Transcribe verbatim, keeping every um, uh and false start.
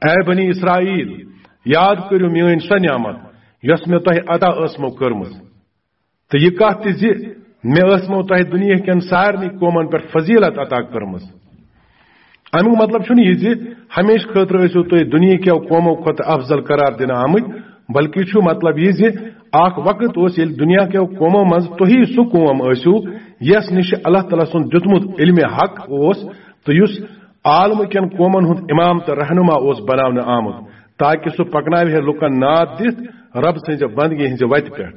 A بنی اسرائیل، یاد کٔرِو میٲنۍ سۄ نعمت یۄس مےٚ تۄہہِ عطا ٲسمو کٔرمٕژ، تہٕ یہِ کتھ تہِ زِ مےٚ ٲسمو تۄہہِ دُنیا کٮ۪ن سارنٕے قومن پٮ۪ٹھ فضیلت عطا کٔرمٕژ۔ امیُک مطلب چھُنہٕ یہِ زِ ہمیشہٕ خٲطرٕ ٲسِو تُہۍ دُنیا کٮ۪و قومو کھۄتہٕ افضل قرار دِنہٕ آمٕتۍ، بلکہِ چھُ مطلب یہِ زِ اکھ وقت اوس ییٚلہِ دُنیا کٮ۪و قومو منٛز تُہی سُہ قوم ٲسِو یس نِش اللہ تعالیٰ سُنٛد دیُتمُت علمِ حق اوس، تہٕ یُس عالمہٕ کٮ۪ن قومن ہُنٛد امام تہٕ رہنما اوس بناونہٕ آمُت، تاکہ سُہ پکناوِ ہے لُکن ناد دِتھ رب سٕنٛزِ بندگی ہٕنٛزِ وتہِ پٮ۪ٹھ۔